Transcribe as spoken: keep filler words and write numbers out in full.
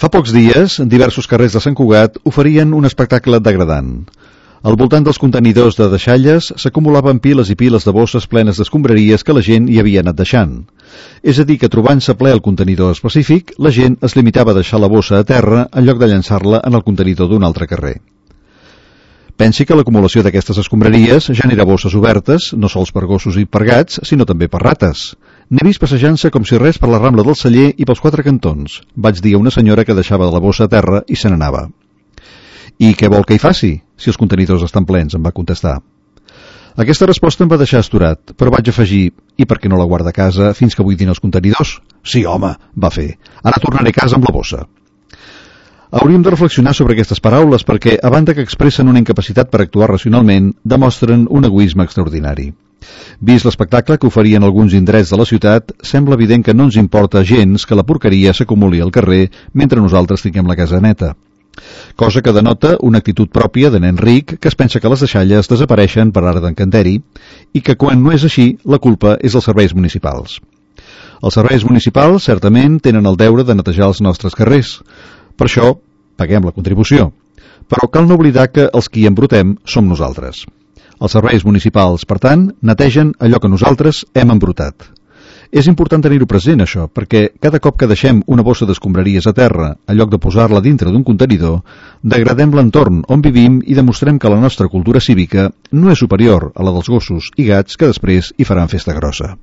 Fa pocs dies, diversos carrers de Sant Cugat oferien un espectacle degradant. Al voltant dels contenidors de deixalles s'acumulaven piles i piles de bosses plenes d'escombraries que la gent hi havia anat deixant. És a dir, que trobant-se ple el contenidor específic, la gent es limitava a deixar la bossa a terra en lloc de llançar-la en el contenidor d'un altre carrer. Pensi que l'acumulació d'aquestes escombraries genera bosses obertes, no sols per gossos i per gats, sinó també per rates. N'he vist passejant-se com si res per la Rambla del Celler i pels quatre cantons. Vaig dir a una senyora que deixava la bossa a terra i se n'anava. I què vol que hi faci, si els contenidors estan plens, em va contestar. Aquesta resposta em va deixar astorat, però vaig afegir, i per què no la guarda a casa fins que buidin els contenidors? Sí, home, va fer. Ara tornaré a casa amb la bossa. Hauríem de reflexionar sobre aquestes paraules perquè, a banda que expressen una incapacitat per actuar racionalment, demostren un egoisme extraordinari. Vist l'espectacle que oferien alguns indrets de la ciutat, sembla evident que no ens importa gens que la porqueria s'acumuli al carrer mentre nosaltres tinguem la casa neta. Cosa que denota una actitud pròpia de nen ric que es pensa que les deixalles desapareixen per art d'encanteri i que quan no és així, la culpa és dels serveis municipals. Els serveis municipals, certament, tenen el deure de netejar els nostres carrers. Per això, paguem la contribució. Però cal no oblidar que els qui embrutem som nosaltres. Els serveis municipals, per tant, netegen allò que nosaltres hem embrutat. És important tenir-ho present, això, perquè cada cop que deixem una bossa d'escombraries a terra, en lloc de posar-la dintre d'un contenidor, degradem l'entorn on vivim i demostrem que la nostra cultura cívica no és superior a la dels gossos i gats que després hi faran festa grossa.